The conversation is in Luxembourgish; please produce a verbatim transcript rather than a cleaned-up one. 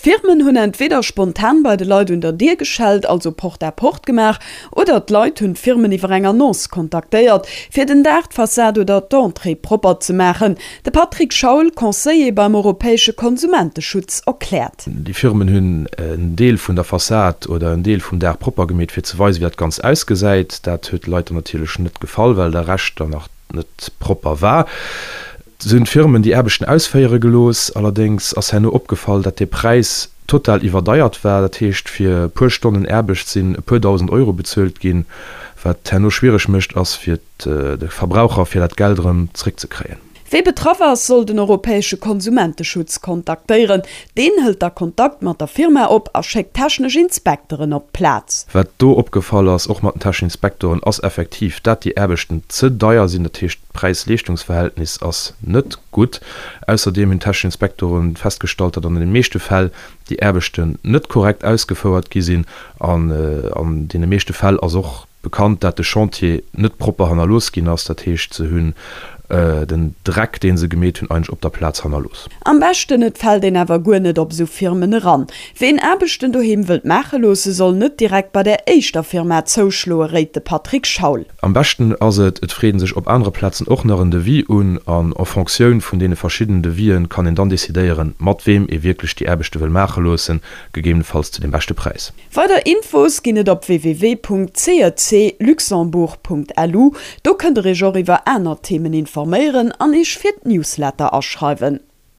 D'Firmen hunn entweder spontan bei de Leit un der Dier geschellt, also Porte à porte gemaach, oder d'Leit hunn d'Firmen iwwer eng Annonce kontaktéiert, fir den Daach, d'Fassad oder d'Entrée propper ze maachen. De Patrick Schaul, Conseiller beim europäesche Konsumenteschutz, erkläert. Déi Firmen hunn en Deel vun der Fassad oder en Deel vum Daach propper gemeet, fir ze weisen, wéi dat Ganzt ausgesäit. Dat huet de Leit dann natierlech net gefall, well de Rescht dann nach net propper war. Se hunn d'Firmen déi Aarbechten ausféiere gelooss. Allerdéngs ass herno opgefall, dat dee Präis total iwwerdeiert war. Dat heescht, fir e puer Stonnen Aarbecht sinn e puer dausend Euro bezuelt ginn. Wat herno schwiereg mécht, ass fir de Verbraucher, fir dat Geld erëm zréckzekréien. Wee betraff ass, soll den europäesche Konsumenteschutz kontaktéieren. Deen hëlt da Kontakt mat der Firma op a schéckt technesch Inspekteren op d'Plaz. Wat do opgefall ass, och mat den techneschen Inspektoren, ass effektiv, dat déi Aarbechten ze deier sinn. Dat heescht, d'Präis-Leeschtungsverhältnis ass net gutt. Ausserdeem hunn d'technesch Inspektoren festgestallt, datt an de meeschte Fäll déi Aarbechten net korrekt ausgefouert gi sinn. An an deene meeschte Fäll ass och bekannt, dat de Chantier net propper hannerlooss ginn ass. Dat heescht, se hunn den Dreck, dee se gemeet hunn, eigentlech op der Plaz hannerlooss. Am beschten et fält een awer guer net op esou Firmen eran. Ween Aarbechten doheem wëllt maache loosse, soll net direkt bei der éischter Firma zouschloe, réit de Patrick Schaul. Am beschten ass et, et freet ee sech op anere Plazen och nach en Devis un an en Fonctioun vun deene verschiddenen Devisen kann een dann decidéieren, mat weem ee wierklech déi Aarbechte wëll maache loossen, gegebenefalls zu deem beschte Präis. Weider Infos ginn et op www.cecluxembourg.lu. Do kënnt der iech och iwwer aner Themen informéieren an iech fir d'Newsletter aschreiwen.